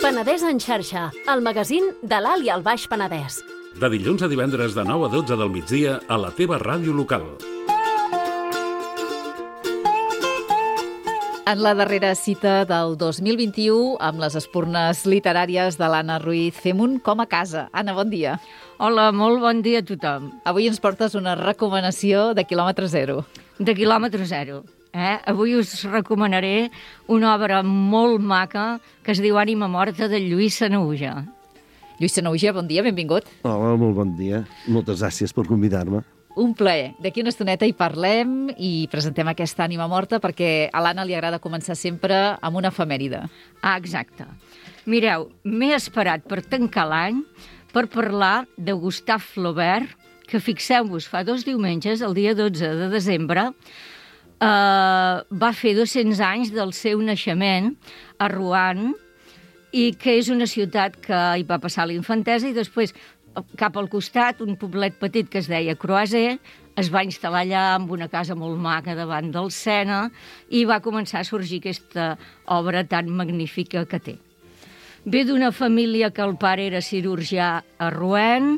Penedès en xarxa, el magazín de l'Alt i el Baix Penedès. De dilluns a divendres de 9 a 12 del migdia a la teva ràdio local. En la darrera cita del 2021, amb les espurnes literàries de l'Anna Ruiz, fem un com a casa. Anna, bon dia. Hola, molt bon dia a tothom. Avui ens portes una recomanació de quilòmetre zero. De quilòmetre zero. Avui us recomanaré una obra molt maca que es diu Ànima morta, de Lluís Sanahuja. Lluís Sanahuja, bon dia, benvingut. Hola, molt bon dia. Moltes gràcies per convidar-me. Un plaer. D'aquí una estoneta hi parlem i presentem aquesta ànima morta perquè a l'Anna li agrada començar sempre amb una efemèride. Ah, exacte. Mireu, m'he esperat per tancar l'any per parlar de Gustave Flaubert, que fixeu-vos, fa 2 diumenges, el dia 12 de desembre, va fer 200 anys del seu naixement a Rouen, i que és una ciutat que hi va passar la infantesa i després cap al costat, un poblet petit que es deia Croiset, es va instal·lar allà amb una casa molt maca davant del Sena i va començar a sorgir aquesta obra tan magnífica que té. Ve d'una família que el pare era cirurgià a Rouen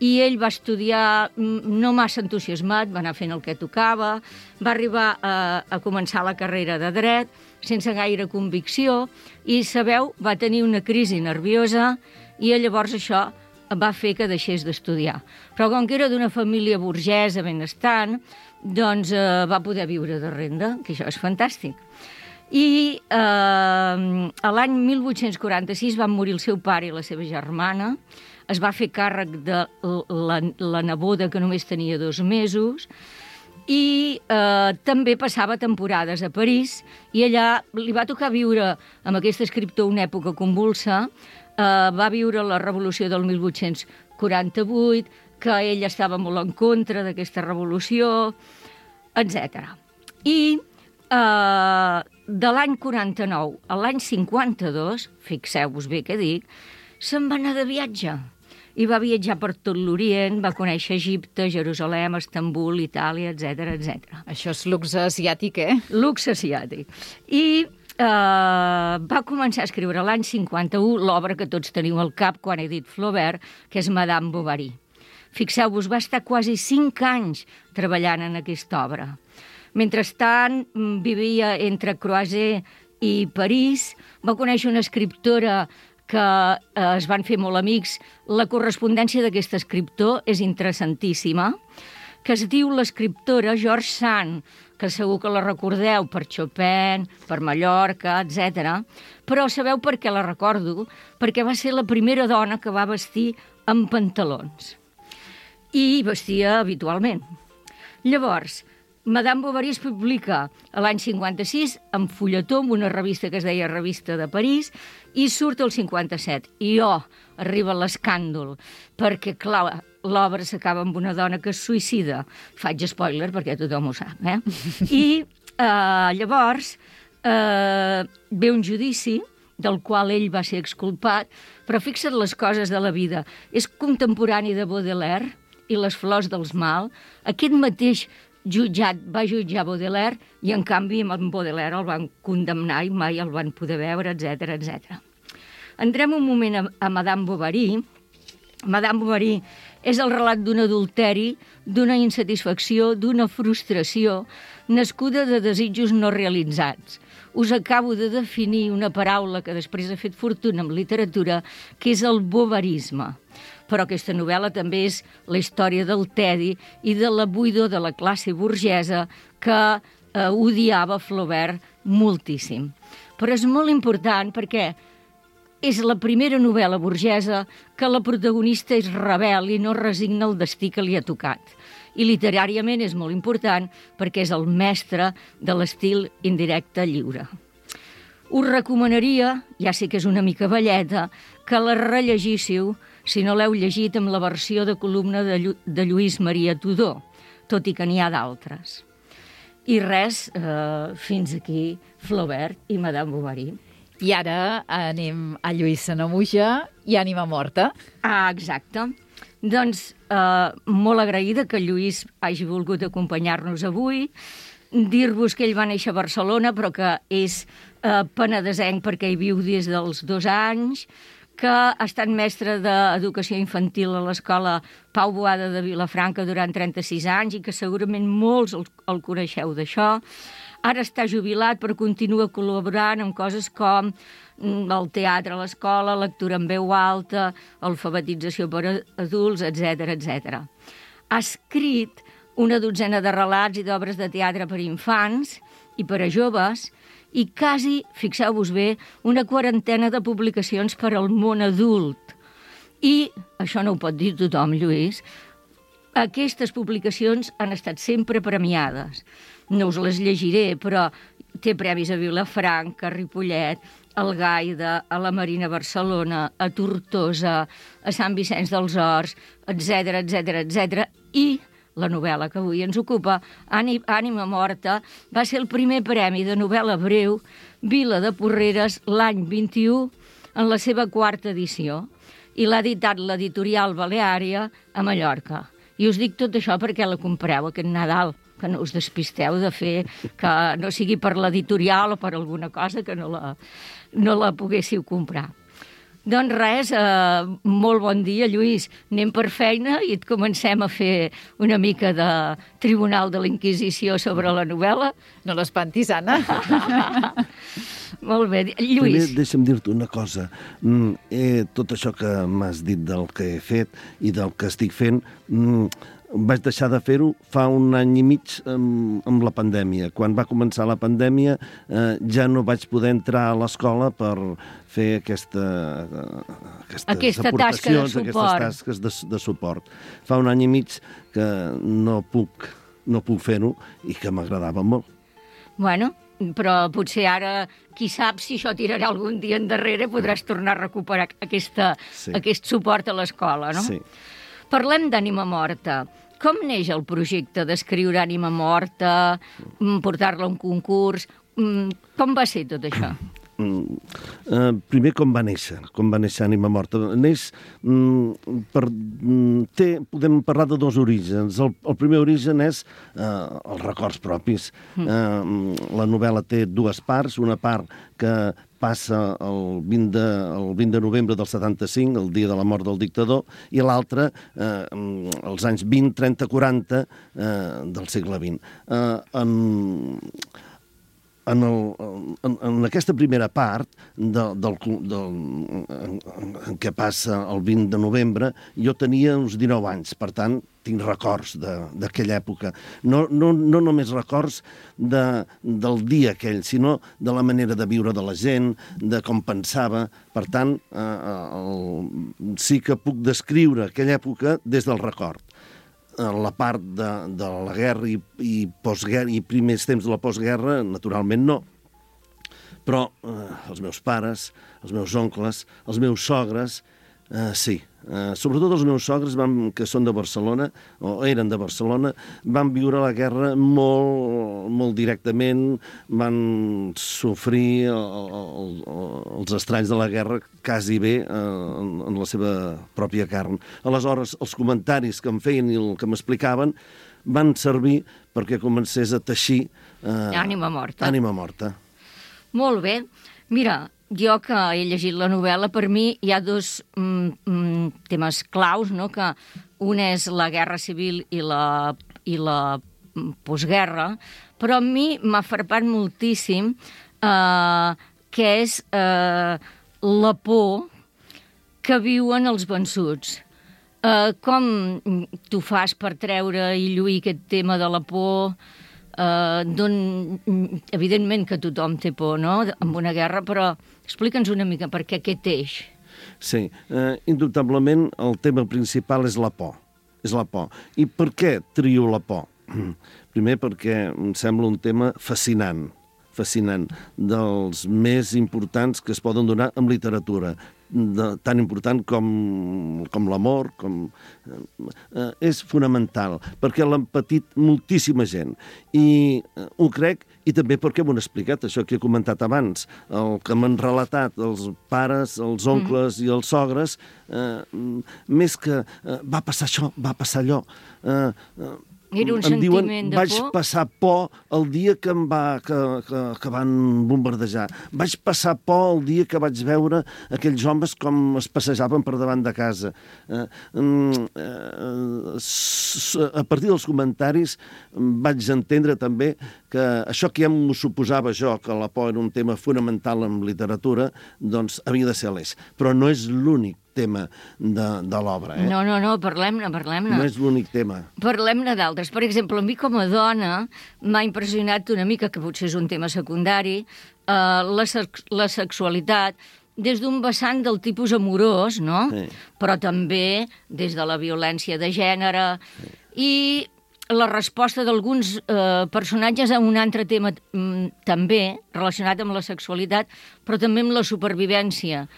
i ell va estudiar no massa entusiasmat, va anar fent el que tocava, va arribar a començar la carrera de dret sense gaire convicció i, sabeu, va tenir una crisi nerviosa i llavors això va fer que deixés d'estudiar. Però com que era d'una família burgesa benestant, doncs va poder viure de renda, que això és fantàstic. I l'any 1846 van morir el seu pare i la seva germana, es va fer càrrec de la neboda, que només tenia 2 mesos, i també passava temporades a París, i allà li va tocar viure amb aquest escriptor una època convulsa. Va viure la revolució del 1848, que ell estava molt en contra d'aquesta revolució, etc. I de l'any 49 a l'any 52, fixeu-vos bé què dic, se'n va anar de viatge. I va viatjar per tot l'Orient, va conèixer Egipte, Jerusalem, Estambul, Itàlia, etc etc. Això és luxe asiàtic, eh? Luxe asiàtic. I va començar a escriure l'any 51 l'obra que tots teniu al cap quan he dit Flaubert, que és Madame Bovary. Fixeu-vos, va estar quasi 5 anys treballant en aquesta obra. Mentrestant, vivia entre Croiset i París, va conèixer una escriptora que es van fer molt amics. La correspondència d'aquest escriptor és interessantíssima, que es diu l'escriptora George Sand, que segur que la recordeu per Chopin, per Mallorca, etc. Però sabeu per què la recordo? Perquè va ser la primera dona que va vestir amb pantalons. I vestia habitualment. Llavors, Madame Bovary es publica l'any 56 en fulletó, en una revista que es deia Revista de París, i surt el 57. I arriba l'escàndol, perquè, clar, l'obra s'acaba amb una dona que es suïcida. Faig spoiler perquè tothom ho sap, eh? I llavors ve un judici del qual ell va ser exculpat, però fixa't les coses de la vida. És contemporani de Baudelaire i Les flors dels mal. Aquest mateix jutjat va jutjar Baudelaire i, en canvi, amb Baudelaire el van condemnar i mai el van poder veure, etc etc. Entrem un moment a Madame Bovary. Madame Bovary és el relat d'un adulteri, d'una insatisfacció, d'una frustració, nascuda de desitjos no realitzats. Us acabo de definir una paraula que després ha fet fortuna en literatura, que és el bovarisme. Però aquesta novel·la també és la història del tedi i de la buidor de la classe burgesa que odiava Flaubert moltíssim. Però és molt important perquè és la primera novel·la burgesa que la protagonista és rebel i no resigna el destí que li ha tocat. I literàriament és molt important perquè és el mestre de l'estil indirecte lliure. Us recomanaria, ja sé que és una mica velleta, que la rellegíssiu, si no l'heu llegit, amb la versió de columna de Lluís Maria Tudó, tot i que n'hi ha d'altres. I res, fins aquí Flaubert i Madame Bovary. I ara anem a Lluís Sanahuja i Ànima morta. Ah, exacte. Doncs molt agraïda que Lluís hagi volgut acompanyar-nos avui. dir-vos que ell va néixer a Barcelona, però que és penedesenc perquè hi viu des dels 2 anys, que ha estat mestre d'educació infantil a l'escola Pau Boada de Vilafranca durant 36 anys i que segurament molts el coneixeu d'això. Ara està jubilat, però continua col·laborant en coses com el teatre a l'escola, lectura en veu alta, alfabetització per a adults, etc. Ha escrit una dotzena de relats i d'obres de teatre per a infants i per a joves i quasi, fixeu-vos bé, una quarantena de publicacions per al món adult. I, això no ho pot dir tothom, Lluís, aquestes publicacions han estat sempre premiades. No us les llegiré, però té premis a Vilafranca, a Ripollet, al Gaida, a la Marina Barcelona, a Tortosa, a Sant Vicenç dels Horts, etc. I la novel·la que avui ens ocupa, Ànima morta, va ser el primer premi de novel·la breu Vila de Porreres l'any 21 en la seva 4ª edició i l'ha editat l'editorial Baleària a Mallorca. I us dic tot això perquè la compreu aquest Nadal, que no us despisteu de fer que no sigui per l'editorial o per alguna cosa que no la poguéssiu comprar. Doncs res, molt bon dia, Lluís. Anem per feina i et comencem a fer una mica de Tribunal de la Inquisició sobre la novel·la. No l'espantis, Anna. Molt bé. Lluís. Primer, deixa'm dir-te una cosa. Tot això que m'has dit del que he fet i del que estic fent, vaig deixar de fer-ho fa 1 any i mig amb la pandèmia. Quan va començar la pandèmia ja no vaig poder entrar a l'escola per fer aquestes aportacions, aquestes tasques de suport. Fa 1 any i mig que no puc fer-ho i que m'agradava molt. Bueno, però potser ara, qui sap si això tirarà algun dia endarrere, podràs tornar a recuperar aquest suport a l'escola, no? Sí. Parlem d'Ànima morta. Com neix el projecte d'escriure Ànima morta, portar-la a un concurs? Com va ser tot això? Primer, com va néixer Ànima morta. Podem parlar de 2 orígens. El primer origen és els records propis. La novel·la té 2 parts, una part que passa el 20 de novembre del 75, el dia de la mort del dictador, i l'altra els anys 20, 30, 40 del segle XX. En aquesta primera part en què passa el 20 de novembre, jo tenia uns 19 anys, per tant, tinc records d'aquella època. No només records del dia aquell, sinó de la manera de viure de la gent, de com pensava. Per tant, sí que puc descriure aquella època des del record. La part de la guerra i postguerra i primers temps de la postguerra, naturalment no. Però els meus pares, els meus oncles, els meus sogres, sí. Sobretot els meus sogres, que són de Barcelona, o eren de Barcelona, van viure la guerra molt directament, van sofrir els estralls de la guerra quasi bé en la seva pròpia carn. Aleshores, els comentaris que em feien i el que m'explicaven van servir perquè comencés a teixir Ànima morta. Ànima morta. Molt bé. Mira, jo que he llegit la novel·la, per mi hi ha 2 temes claus, no? Que un és la guerra civil i la postguerra, però a mi m'ha frapat moltíssim que és la por que viuen els vençuts. Com tu fas per treure i lluir aquest tema de la por? Evidentment que tothom té por, no?, amb una guerra, però explica'ns una mica per què aquest eix. Sí, indubtablement el tema principal és la por. És la por. I per què trio la por? Primer perquè em sembla un tema fascinant, dels més importants que es poden donar en literatura, tan important com l'amor, és fonamental, perquè l'han patit moltíssima gent. I ho crec, i també perquè m'ho han explicat, això que he comentat abans, el que m'han relatat els pares, els oncles i els sogres, més que va passar això, va passar allò, Era un em diuen, sentiment de vaig por? passar por el dia que que van bombardejar. Vaig passar por el dia que vaig veure aquells homes com es passejaven per davant de casa. A partir dels comentaris vaig entendre també que això que ja m'ho suposava jo, que la por era un tema fonamental en literatura, doncs havia de ser l'eix. Però no és l'únic tema de l'obra. No, parlem-ne. No és l'únic tema. Parlem-ne d'altres. Per exemple, a mi com a dona m'ha impressionat una mica, que potser és un tema secundari, la sexualitat des d'un vessant del tipus amorós, no? Sí. Però també des de la violència de gènere i la resposta d'alguns personatges a un altre tema també relacionat amb la sexualitat, però també amb la supervivència.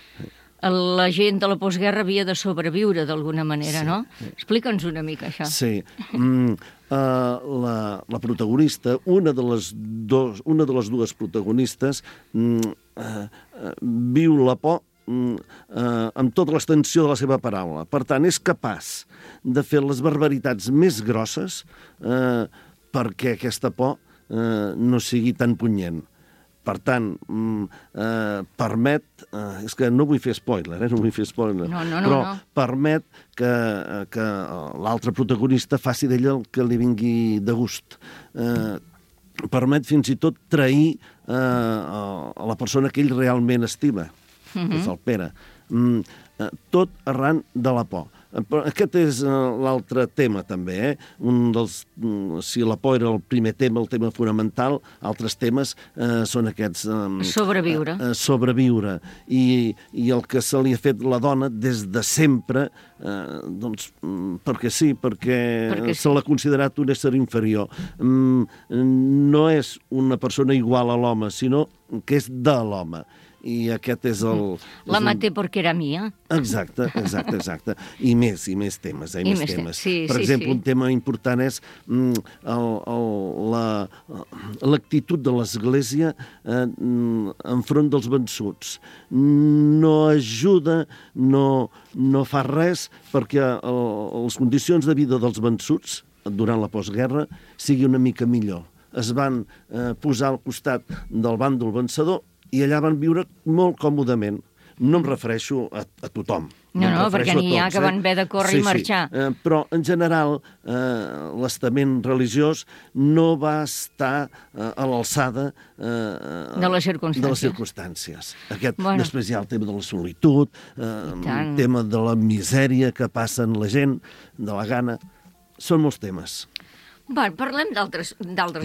La gent de la postguerra havia de sobreviure d'alguna manera, no? Explica'ns una mica això. Sí. La protagonista, una de les dues protagonistes, viu la por amb tota l'extensió de la seva paraula. Per tant, és capaç de fer les barbaritats més grosses perquè aquesta por no sigui tan punyent. Per tant, permet... és que no vull fer spoiler, no vull fer spoiler. Però permet que l'altre protagonista faci d'ella el que li vingui de gust. Permet fins i tot trair a la persona que ell realment estima, que és el Pere. Tot arran de la por. Aquest és l'altre tema, també. Si la por era el primer tema, el tema fonamental, altres temes són aquests... Sobreviure. Sobreviure. I el que se li ha fet la dona des de sempre, doncs, perquè sí, perquè se l'ha considerat un ésser inferior. No és una persona igual a l'home, sinó que és de l'home. I aquest és el... La maté perquè era mia. Exacte. I més temes, més temes. Per exemple, un tema important és l'actitud de l'Església enfront dels vençuts. No ajuda, no fa res perquè les condicions de vida dels vençuts durant la postguerra sigui una mica millor. Es van posar al costat del bàndol vencedor i allà van viure molt còmodament. No em refereixo a tothom. No, perquè n'hi ha que van haver de córrer i marxar. Però, en general, l'estament religiós no va estar a l'alçada de les circumstàncies. Després hi ha el tema de la solitud, el tema de la misèria que passen la gent, de la gana. Són molts temes. Parlem d'altres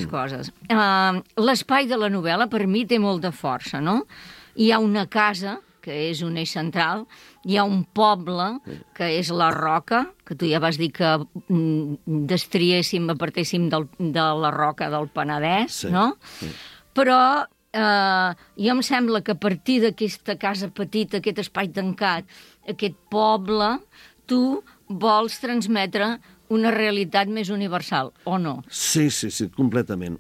coses. L'espai de la novel·la, per mi, té molta força, no? Hi ha una casa, que és un eix central, hi ha un poble, que és la Roca, que tu ja vas dir que destriéssim, apartéssim de la Roca del Penedès, no? Però jo em sembla que a partir d'aquesta casa petita, aquest espai tancat, aquest poble, tu vols transmetre una realitat més universal, o no? Sí, completament.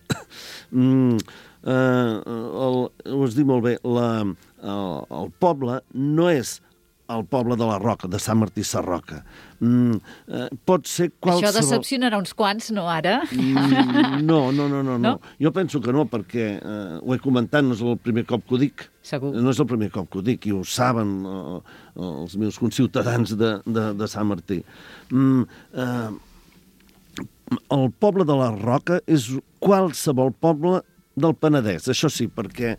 Ho has dit molt bé, el poble no és el poble de la Roca, de Sant Martí Sarroca. Pot ser qualsevol... Això decepcionarà uns quants, no, ara? No. Jo penso que no, perquè ho he comentat, no és el primer cop que ho dic. Segur. No és el primer cop que ho dic, i ho saben els meus conciutadans de Sant Martí. El poble de la Roca és qualsevol poble del Penedès, això sí, perquè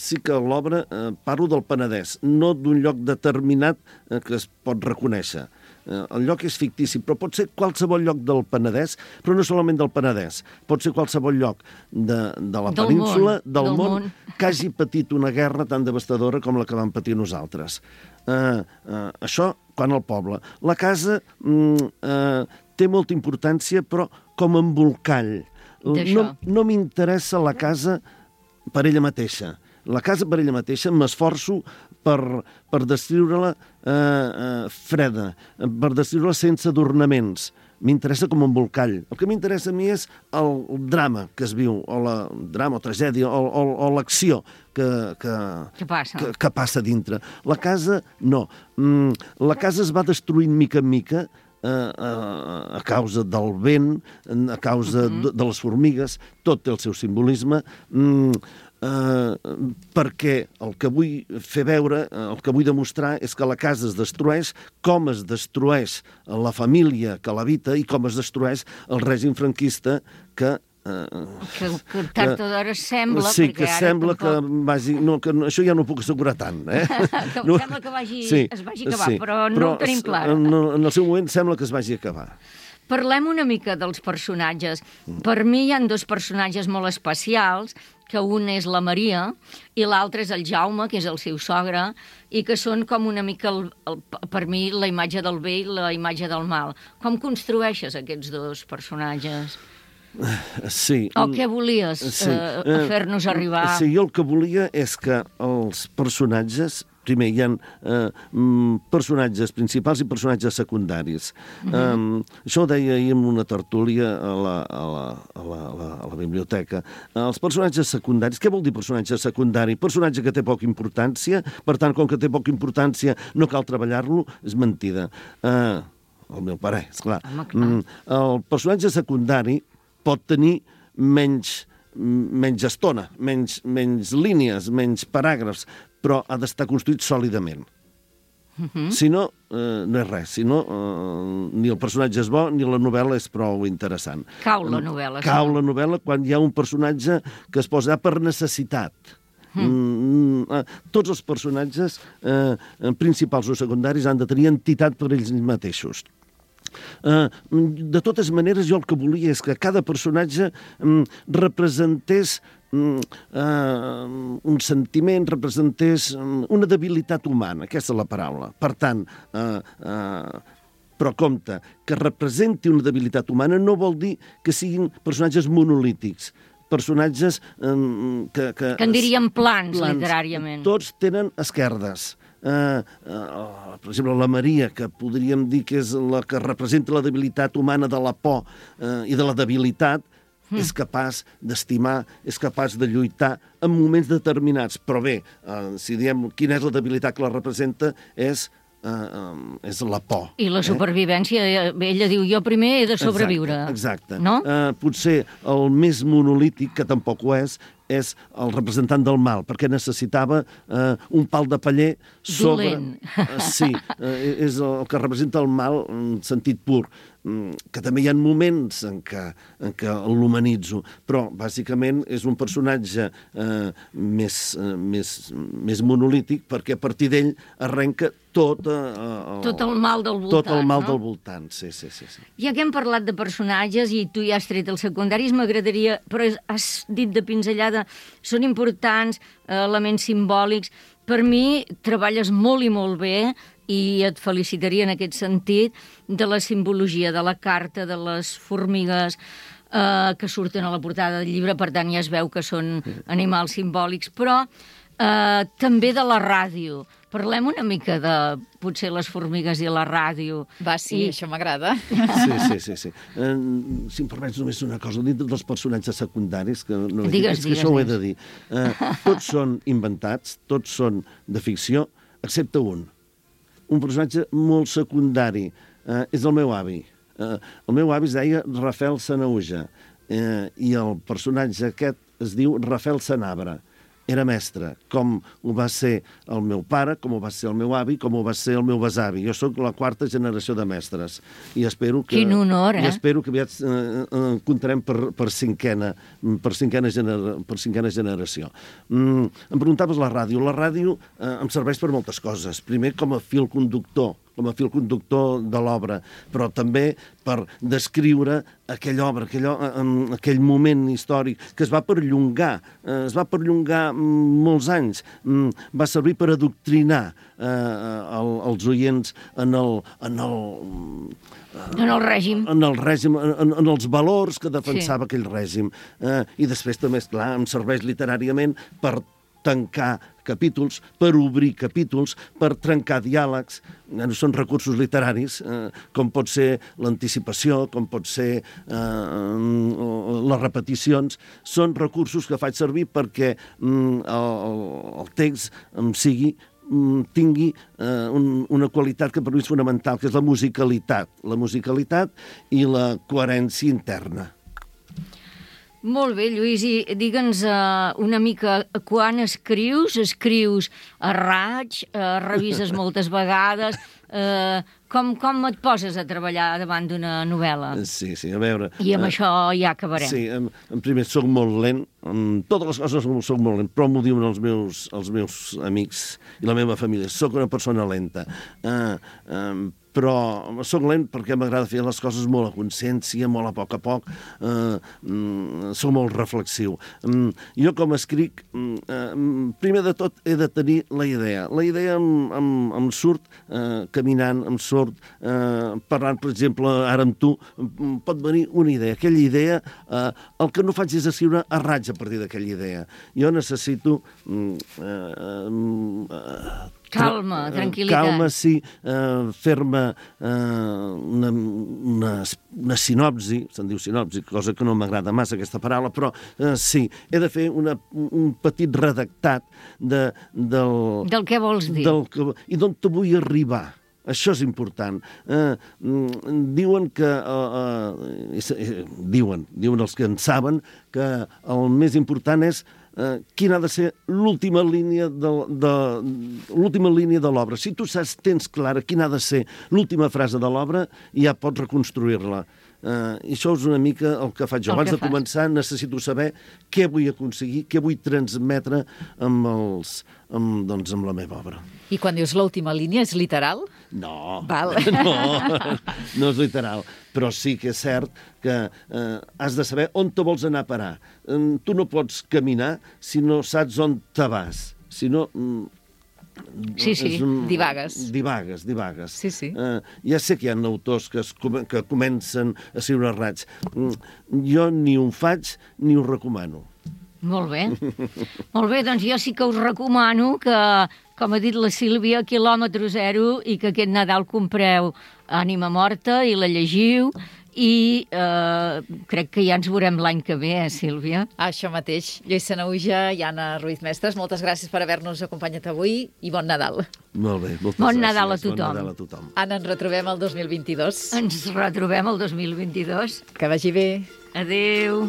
sí que l'obra parlo del Penedès, no d'un lloc determinat que es pot reconèixer. El lloc és fictici, però pot ser qualsevol lloc del Penedès, però no solament del Penedès, pot ser qualsevol lloc de la península, del món, que hagi patit una guerra tan devastadora com la que vam patir nosaltres. Això, quan al poble. La casa té molta importància, però com a embolcall. No m'interessa la casa per ella mateixa. La casa per ella mateixa m'esforço per descriure-la freda, per descriure-la sense adornaments. M'interessa com a embolcall. El que m'interessa a mi és el drama que es viu, o la drama o tragèdia, o l'acció que passa dintre. La casa, no. La casa es va destruint mica en mica a causa del vent, a causa de les formigues, tot té el seu simbolisme, perquè el que vull fer veure, el que vull demostrar és que la casa es destrueix, com es destrueix la família que l'habita i com es destrueix el règim franquista que tard o d'hora sembla... Sí, que ara sembla tampoc... que vagi... No, que això ja no ho puc assegurar tant, Sembla que es vagi acabar, però no ho tenim clar. En el seu moment sembla que es vagi acabar. Parlem una mica dels personatges. Per mi hi ha dos personatges molt especials, que un és la Maria i l'altre és el Jaume, que és el seu sogre, i que són com una mica, per mi, la imatge del bé i la imatge del mal. Com construeixes aquests dos personatges? Sí. O què volies fer-nos arribar? Sí, jo el que volia és que els personatges... Primer, hi ha personatges principals i personatges secundaris. Això ho deia ahir en una tertúlia a la biblioteca. Els personatges secundaris... Què vol dir personatge secundari? Personatge que té poca importància, per tant, com que té poca importància no cal treballar-lo, és mentida. El meu parer, esclar. El personatge secundari pot tenir menys estona, menys línies, menys paràgrafs, però ha d'estar construït sòlidament. Si no, no és res. Si no, ni el personatge és bo, ni la novel·la és prou interessant. Cau la novel·la. Cau la novel·la quan hi ha un personatge que es posa per necessitat. Tots els personatges, principals o secundaris, han de tenir entitat per ells mateixos. De totes maneres, jo el que volia és que cada personatge representés un sentiment, representés una debilitat humana, aquesta és la paraula. Per tant, però compte, que representi una debilitat humana no vol dir que siguin personatges monolítics, personatges que en diríem plans, literàriament. Tots tenen esquerdes. Per exemple, la Maria, que podríem dir que és la que representa la debilitat humana de la por i de la debilitat, és capaç d'estimar, és capaç de lluitar en moments determinats. Però bé, si diem quina és la debilitat que la representa, és la por. I la supervivència, ella diu, jo primer he de sobreviure. Exacte. No? Potser el més monolític, que tampoc ho és el representant del mal, perquè necessitava un pal de paller sobre... Dolent. Sí, és el que representa el mal en sentit pur, que també hi ha moments en què l'humanitzo, però bàsicament és un personatge més monolític, perquè a partir d'ell arrenca tot el mal del voltant. Tot el mal del voltant, sí. Ja que hem parlat de personatges i tu ja has tret els secundaris, m'agradaria, però has dit de pinzellada, són importants, elements simbòlics. Per mi treballes molt i molt bé i et felicitaria en aquest sentit de la simbologia de la carta, de les formigues que surten a la portada del llibre, per tant ja es veu que són animals simbòlics, però també de la ràdio. Parlem una mica de, potser, les formigues i la ràdio. Va, sí, això m'agrada. Sí. Si em permets només una cosa, dintre dels personatges secundaris, que no digues, això ho he de dir. Tots són inventats, tots són de ficció, excepte un. Un personatge molt secundari. És el meu avi. El meu avi es deia Rafael Sanauja i el personatge aquest es diu Rafael Sanabra. Era mestre, com ho va ser el meu pare, com ho va ser el meu avi, com ho va ser el meu besavi. Jo sóc la 4ª generació de mestres. I espero que... Quin honor, I espero que aviat comptarem per cinquena generació. Em preguntaves la ràdio. La ràdio em serveix per moltes coses. Primer, com a fil conductor de l'obra, però també per descriure aquella obra, aquell moment històric que es va perllongar molts anys. Va servir per adoctrinar els oients en el règim. En els valors que defensava aquell règim. I després també, esclar, em serveix literàriament per tancar capítols, per obrir capítols, per trencar diàlegs. Són recursos literaris, com pot ser l'anticipació, com pot ser les repeticions. Són recursos que faig servir perquè el text em sigui tingui una qualitat que per mi és fonamental, que és la musicalitat i la coherència interna. Molt bé, Lluís, i digue'ns una mica quan escrius a raig, revises moltes vegades, com et poses a treballar davant d'una novel·la? Sí, a veure... I amb això ja acabarem. Sí, en primer, soc molt lent, totes les coses soc molt lent, però m'ho diuen els meus amics i la meva família, soc una persona lenta. Però soc lent perquè m'agrada fer les coses molt a consciència, molt a poc, soc molt reflexiu. Jo com escric, primer de tot he de tenir la idea. La idea em surt caminant, em surt parlant, per exemple, ara amb tu, pot venir una idea. Aquella idea, el que no faig és escriure a raig a partir d'aquella idea. Jo necessito... Calma, tranquil·litat. Calma, sí, fer-me una sinopsi, se'n diu sinopsi, cosa que no m'agrada massa aquesta paraula, però sí, he de fer un petit redactat del que vols dir. I d'on te vull arribar. Això és important. Diuen que... Diuen els que en saben que el més important és quina ha de ser l'última línia de l'obra. Si tu tens clara quina ha de ser l'última frase de l'obra, ja pots reconstruir-la. I això és una mica el que faig jo. Abans de començar necessito saber què vull aconseguir, què vull transmetre amb la meva obra. I quan dius l'última línia, és literal? No, Val. no és literal, però sí que és cert que has de saber on te vols anar a parar. Tu no pots caminar si no saps on te vas. Si no... Sí, divagues. Divagues. Sí. Ja sé que hi ha autors que comencen a escriure a raig. Jo ni ho faig ni ho recomano. Molt bé. Molt bé, doncs jo sí que us recomano que, com ha dit la Sílvia, quilòmetre zero, i que aquest Nadal compreu Ànima morta i la llegiu, i crec que ja ens veurem l'any que ve, Sílvia? Això mateix. Lluís Sanahuja i Anna Ruiz Mestres, moltes gràcies per haver-nos acompanyat avui i bon Nadal. Molt bé, moltes bon gràcies. Nadal a tothom. Bon Nadal a tothom. Anna, ens retrobem el 2022. Ens retrobem el 2022. Que vagi bé. Adéu.